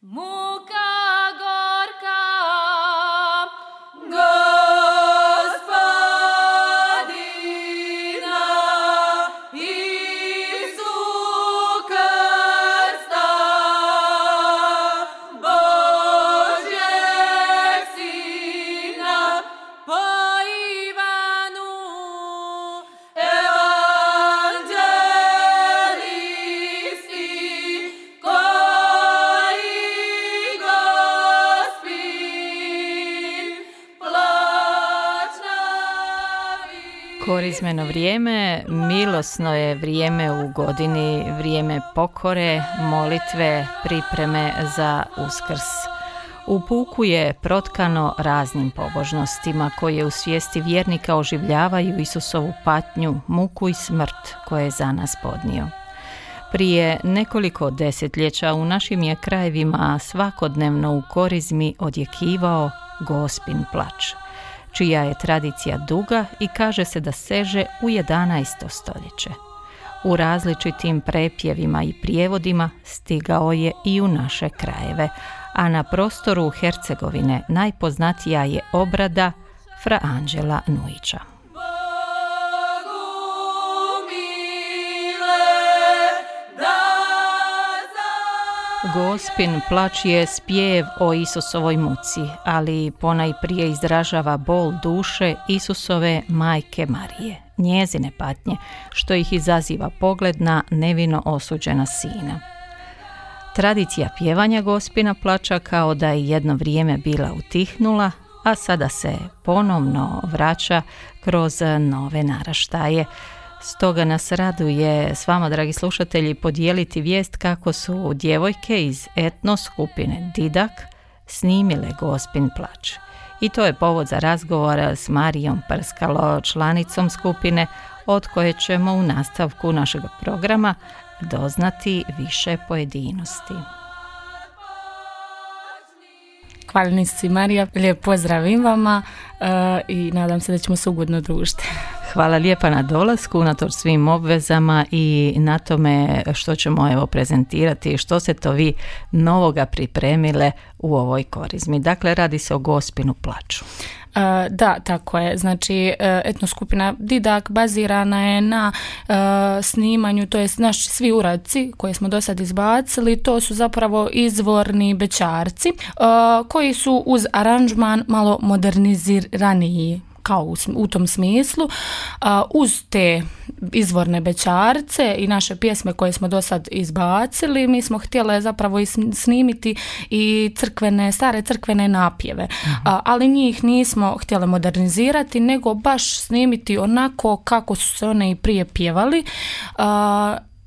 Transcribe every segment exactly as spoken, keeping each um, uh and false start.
Muka gorka, gospodina Isu Krsta, Božjeg Sina, po Ivanu, evanđelisti, koji Gospin plač navi. Korizmeno vrijeme, milosno je vrijeme u godini, vrijeme pokore, molitve, pripreme za Uskrs. U puku je protkano raznim pobožnostima koje u svijesti vjernika oživljavaju Isusovu patnju, muku i smrt koje je za nas podnio. Prije nekoliko desetljeća u našim je krajevima svakodnevno u korizmi odjekivao Gospin plač, čija je tradicija duga i kaže se da seže u jedanaesto stoljeće. U različitim prepjevima i prijevodima stigao je i u naše krajeve, a na prostoru Hercegovine najpoznatija je obrada Fra Anđela Nujića. Bogu mile da za Gospin plač je spjev o Isusovoj muci, ali ponajprije izražava bol duše Isusove majke Marije, njezine patnje, što ih izaziva pogled na nevino osuđena sina. Tradicija pjevanja Gospina plača kao da je jedno vrijeme bila utihnula, a sada se ponovno vraća kroz nove naraštaje. Stoga nas raduje s vama, dragi slušatelji, podijeliti vijest kako su djevojke iz etno skupine Didak snimile Gospin plač. I to je povod za razgovor s Marijom Prskalo, članicom skupine, od koje ćemo u nastavku našeg programa doznati više pojedinosti. Hvalnici Marija, lijep pozdravim vama uh, i nadam se da ćemo se ugodno družiti. Hvala lijepa na dolasku, unatoč svim obvezama i na tome što ćemo evo prezentirati, što se to vi novoga pripremile u ovoj korizmi. Dakle, radi se o Gospinu plaču. Uh, da, tako je. Znači, uh, etno skupina Didak bazirana je na uh, snimanju, to je naši svi uradci koje smo do sad izbacili, to su zapravo izvorni bećarci uh, koji su uz aranžman malo moderniziraniji, kao u, u tom smislu, uh, uz te izvorne bećarce i naše pjesme koje smo do sad izbacili, mi smo htjeli zapravo i snimiti i crkvene, stare crkvene napjeve, uh-huh. uh, ali njih nismo htjeli modernizirati, nego baš snimiti onako kako su se one i prije pjevali. Uh,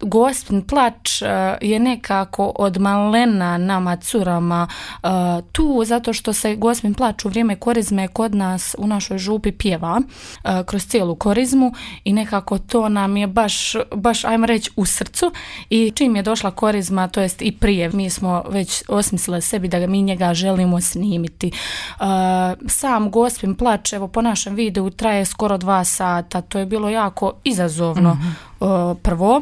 Gospin plač uh, je nekako od malena nama curama uh, tu, zato što se Gospin plač u vrijeme korizme kod nas u našoj župi pjeva uh, kroz cijelu korizmu i nekako to nam je baš, baš ajmo reći u srcu, i čim je došla korizma, to jest i prije, mi smo već osmislili sebi da mi njega želimo snimiti. Uh, sam Gospin plač, evo po našem videu, traje skoro dva sata, to je bilo jako izazovno. Mm-hmm. uh, prvo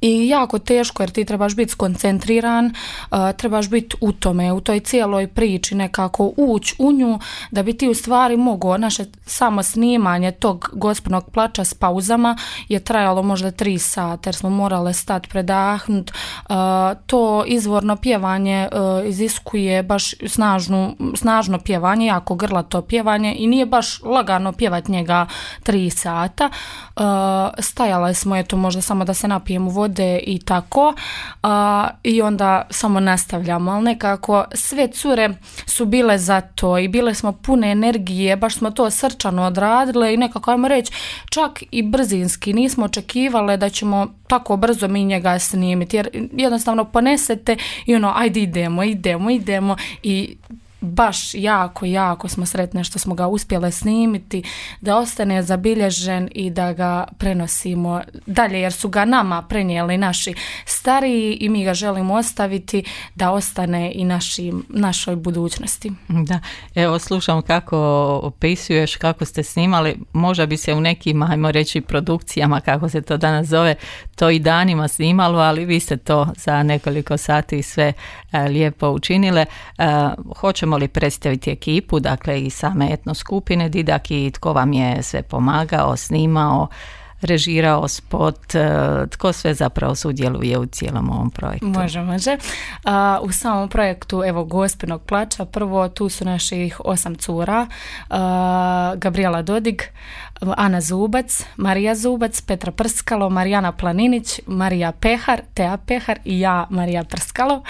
i jako teško, jer ti trebaš biti skoncentriran, uh, trebaš biti u tome, u toj cijeloj priči, nekako ući u nju, da bi ti u stvari mogao. Naše samo snimanje tog Gospinog plača s pauzama je trajalo možda tri sata, jer smo morali stati, predahnut. Uh, to izvorno pjevanje uh, iziskuje baš snažnu, snažno pjevanje, jako grlato pjevanje i nije baš lagano pjevat njega tri sata. Uh, stajala smo, eto, možda samo da se napijemo vode i tako, uh, i onda samo nastavljamo, ali nekako sve cure su bile za to i bile smo pune energije, baš smo to srčano odradile i nekako, ajmo reći, čak i brzinski, nismo očekivale da ćemo tako brzo mi njega snimiti, jer jednostavno ponesete i ono, ajde idemo, idemo, idemo i baš jako, jako smo sretne što smo ga uspjele snimiti, da ostane zabilježen i da ga prenosimo dalje, jer su ga nama prenijeli naši stariji i mi ga želimo ostaviti da ostane i našim, našoj budućnosti. Da, evo slušam kako opisuješ, kako ste snimali, možda bi se u nekim, ajmo reći, produkcijama, kako se to danas zove, to i danima snimalo, ali vi ste to za nekoliko sati sve e, lijepo učinile. E, hoćemo li predstaviti ekipu, dakle i same etno skupine Didak i tko vam je sve pomagao, snimao, režirao spot, e, tko sve zapravo sudjeluje u cijelom ovom projektu? Može, može. A, u samom projektu evo Gospinog plača, prvo tu su naših osam cura, a, Gabriela Dodig, Ana Zubac, Marija Zubac, Petra Prskalo, Marijana Planinić, Marija Pehar, Tea Pehar i ja, Marija Prskalo.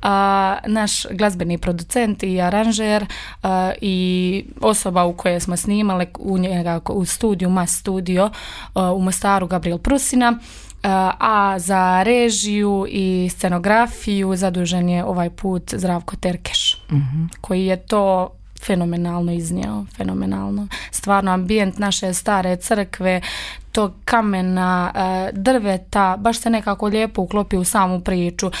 A, naš glazbeni producent i aranžer a, i osoba u kojoj smo snimali u njega u studiju, Mas studio a, u Mostaru, Gabriel Prusina. A za režiju i scenografiju zadužen je ovaj put Zdravko Terkeš, mm-hmm. koji je to fenomenalno iznio, fenomenalno. Stvarno ambijent naše stare crkve, tog kamena, drveta, baš se nekako lijepo uklopio u samu priču.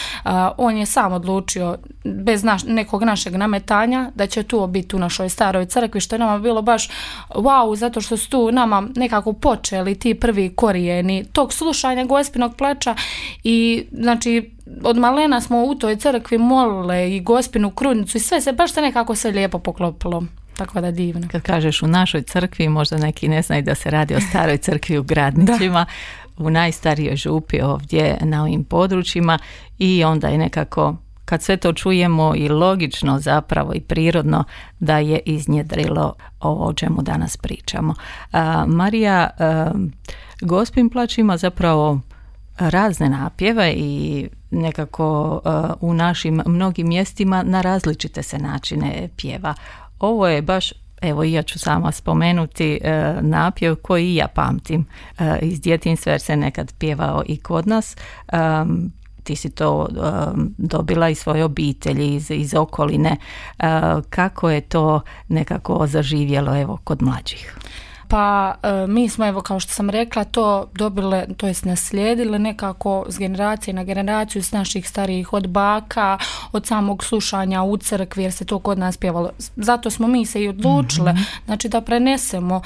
On je sam odlučio, bez naš, nekog našeg nametanja, da će tu biti u našoj staroj crkvi, što je nama bilo baš wow, zato što su tu nama nekako počeli ti prvi korijeni tog slušanja Gospinog plača i znači od malena smo u toj crkvi molile i Gospinu krunicu i sve se, baš se nekako sve lijepo poklopilo. Tako da divno. Kad kažeš u našoj crkvi, možda neki ne znaju da se radi o staroj crkvi u Gradnićima, u najstarijoj župi ovdje na ovim područjima i onda je nekako, kad sve to čujemo i logično zapravo i prirodno da je iznjedrilo ovo o čemu danas pričamo. A, Marija, a, Gospin plač ima zapravo razne napjeve i nekako uh, u našim mnogim mjestima na različite se načine pjeva. Ovo je baš, evo i ja ću sama spomenuti uh, napjev koji i ja pamtim uh, iz djetinjstva jer se nekad pjevao i kod nas. Um, ti si to um, dobila iz svoje obitelji, iz, iz okoline. Uh, kako je to nekako zaživjelo evo kod mlađih? Pa e, mi smo, evo kao što sam rekla, to dobile, to jest naslijedile nekako s generacije na generaciju s naših starijih, od baka, od samog slušanja u crkvi, jer se to kod nas pjevalo. Zato smo mi se i odlučile, mm-hmm. znači da prenesemo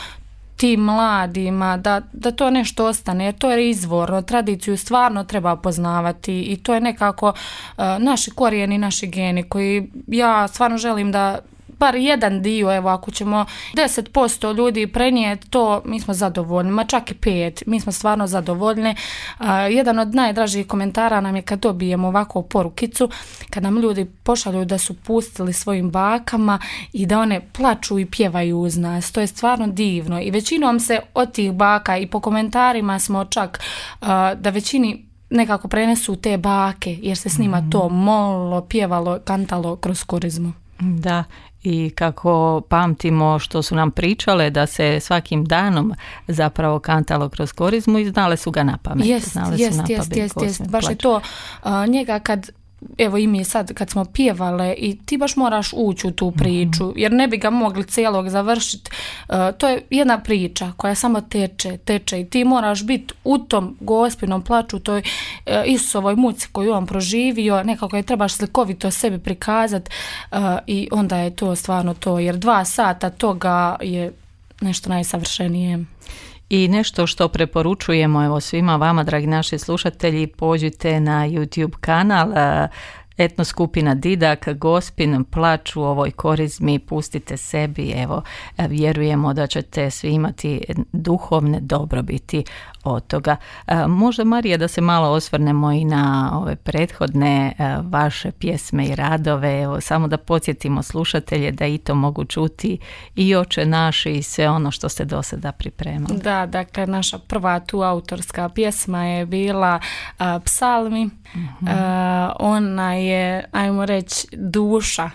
tim mladima, da, da to nešto ostane, jer to je izvorno, tradiciju stvarno treba poznavati i to je nekako uh, naši korijeni, naši geni koji ja stvarno želim da bar jedan dio, evo ako ćemo deset posto ljudi prenijeti to, mi smo zadovoljni, ma čak i pet, mi smo stvarno zadovoljni. Uh, jedan od najdražih komentara nam je kad dobijemo ovako porukicu, kad nam ljudi pošalju da su pustili svojim bakama i da one plaču i pjevaju uz nas, to je stvarno divno i većinom se od tih baka i po komentarima smo čak uh, da većini nekako prenesu te bake, jer se s njima to molilo, pjevalo, kantalo kroz korizmu. Da, i kako pamtimo što su nam pričale da se svakim danom zapravo kantalo kroz korizmu i znale su ga na pamet. Jest, jest, jest, jest, jest. Baš je to uh, njega kad evo i mi sad kad smo pjevale i ti baš moraš ući u tu priču, mm-hmm. jer ne bi ga mogli cijelog završiti. Uh, to je jedna priča koja samo teče, teče i ti moraš biti u tom Gospinom plaču, toj uh, Isusovoj muci koju on proživio, nekako je trebaš slikovito sebi prikazati uh, i onda je to stvarno to, jer dva sata toga je nešto najsavršenije. I nešto što preporučujemo evo svima vama, dragi naši slušatelji, pođite na YouTube kanal etno skupina Didak, Gospin plač u ovoj korizmi, pustite sebi, evo vjerujemo da ćete svi imati duhovne dobrobiti od toga. Možda Marija da se malo osvrnemo i na ove prethodne vaše pjesme i radove, evo samo da podsjetimo slušatelje da i to mogu čuti i Oče naš i sve ono što ste do sada pripremali. Da, dakle naša prva tu autorska pjesma je bila uh, Psalmi, mm-hmm. uh, ona je, ajmo reći, duša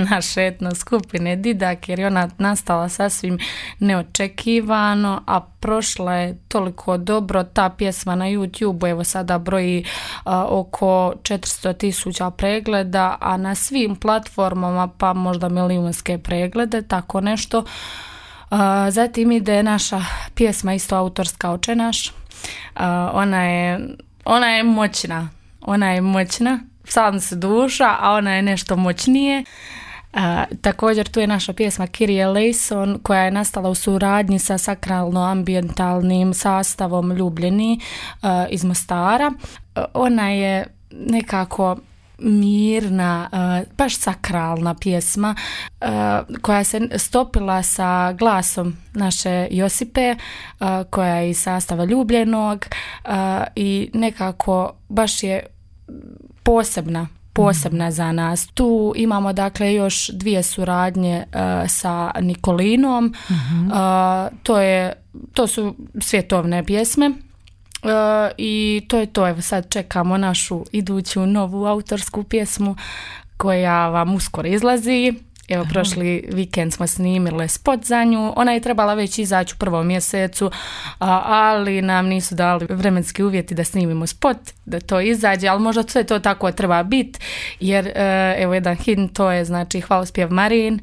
naše etno skupine Didak, jer je ona nastala sasvim neočekivano, a prošla je toliko dobro. Ta pjesma na YouTube evo sada broji a, oko četiristo tisuća pregleda, a na svim platformama pa možda milijunske preglede, tako nešto. A, zatim ide naša pjesma isto autorska Oče naš. A, ona je ona je moćna. Ona je moćna. Sam se duša, a ona je nešto moćnije. A, također tu je naša pjesma Kyrie eleison koja je nastala u suradnji sa sakralno-ambientalnim sastavom Ljubljeni a, iz Mostara. A, ona je nekako mirna, uh, baš sakralna pjesma uh, koja se stopila sa glasom naše Josipe uh, koja je iz sastava Ljubljenog uh, i nekako baš je posebna posebna za nas. Tu imamo dakle još dvije suradnje uh, sa Nikolinom. Mm-hmm. Uh, to je to su svjetovne pjesme. Uh, i to je to, evo sad čekamo našu iduću novu autorsku pjesmu koja vam uskoro izlazi. Evo Aha. prošli vikend smo snimile spot za nju, ona je trebala već izaći u prvom mjesecu, a, ali nam nisu dali vremenski uvjeti da snimimo spot, da to izađe, ali možda sve to tako treba biti, jer uh, evo jedan hit, to je znači hvalospjev Marijin.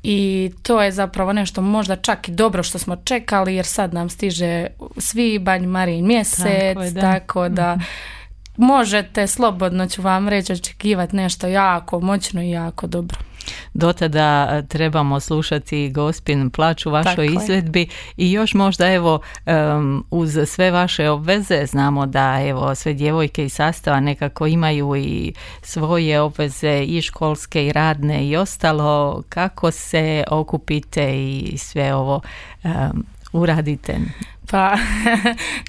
I to je zapravo nešto možda čak i dobro što smo čekali, jer sad nam stiže svibanj, Marijin mjesec, tako, da. tako da možete, slobodno ću vam reći, očekivati nešto jako moćno i jako dobro. Do tada trebamo slušati Gospin plać u vašoj Tako izvedbi je. I još možda evo um, uz sve vaše obveze znamo da evo sve djevojke iz sastava nekako imaju i svoje obveze i školske i radne i ostalo, kako se okupite i sve ovo um, uradite? Pa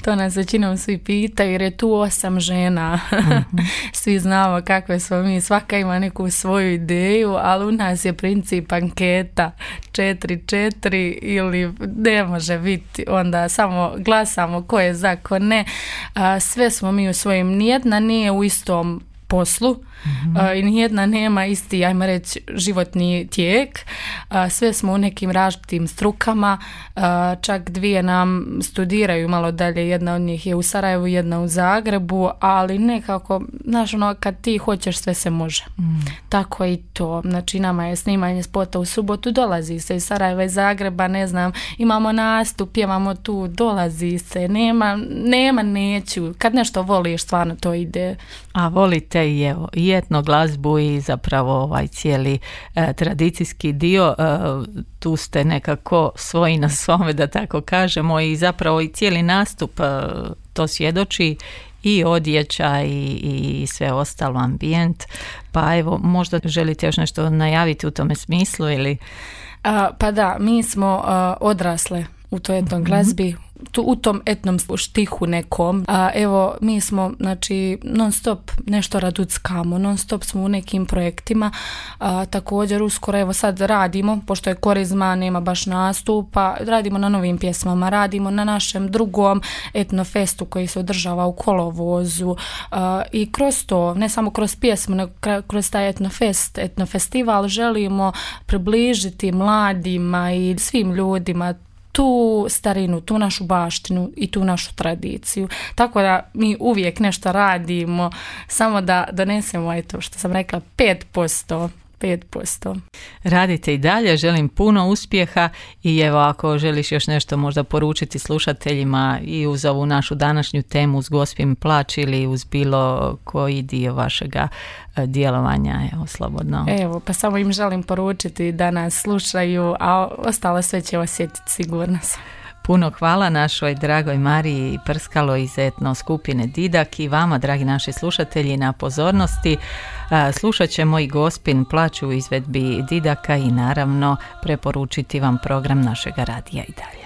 to nas većinom svi pitaju jer je tu osam žena. Mm-hmm. Svi znamo kakve smo mi, svaka ima neku svoju ideju, ali u nas je princip anketa četiri četiri ili ne može biti, onda samo glasamo ko je za, ko ne. A, sve smo mi u svojim, nijedna nije u istom poslu mm-hmm. uh, i nijedna nema isti, ajmo reći, životni tijek. Uh, sve smo u nekim različitim strukama, uh, čak dvije nam studiraju malo dalje, jedna od njih je u Sarajevu, jedna u Zagrebu, ali nekako, znaš, ono, kad ti hoćeš, sve se može. Mm. Tako i to. Znači, nama je snimanje spota u subotu, dolazi se iz Sarajeva i Zagreba, ne znam, imamo nastup, imamo tu, dolazi se, nema, nema, neću. Kad nešto voliš, stvarno to ide. A volite i evo, i etno glazbu i zapravo ovaj cijeli e, tradicijski dio, e, tu ste nekako svoji na svome, da tako kažemo, i zapravo i cijeli nastup e, to svjedoči, i odjeća i, i sve ostalo, ambijent. Pa evo, možda želite još nešto najaviti u tome smislu ili? A, pa da, mi smo a, odrasle u toj etnom glazbi, tu, u tom etnom štihu nekom. A, evo, mi smo, znači, non stop nešto raduckamo, non stop smo u nekim projektima. A, također, uskoro, evo sad radimo, pošto je korizma, nema baš nastupa, radimo na novim pjesmama, radimo na našem drugom etnofestu koji se održava u kolovozu. A, i kroz to, ne samo kroz pjesmu, nego kroz taj etnofest, etnofestival, želimo približiti mladima i svim ljudima tu starinu, tu našu baštinu i tu našu tradiciju. Tako da mi uvijek nešto radimo, samo da donesemo, eto što sam rekla, pet posto. pet posto. Radite i dalje, želim puno uspjeha i evo ako želiš još nešto možda poručiti slušateljima i uz ovu našu današnju temu uz Gospin plać ili uz bilo koji dio vašega djelovanja, evo slobodno. Evo, pa samo im želim poručiti da nas slušaju, a ostalo sve će osjetiti, sigurno sam. Puno hvala našoj dragoj Mariji Prskalo iz etno skupine Didak i vama, dragi naši slušatelji, na pozornosti. Slušat ćemo i Gospin plać u izvedbi Didaka i naravno preporučiti vam program našega radija i dalje.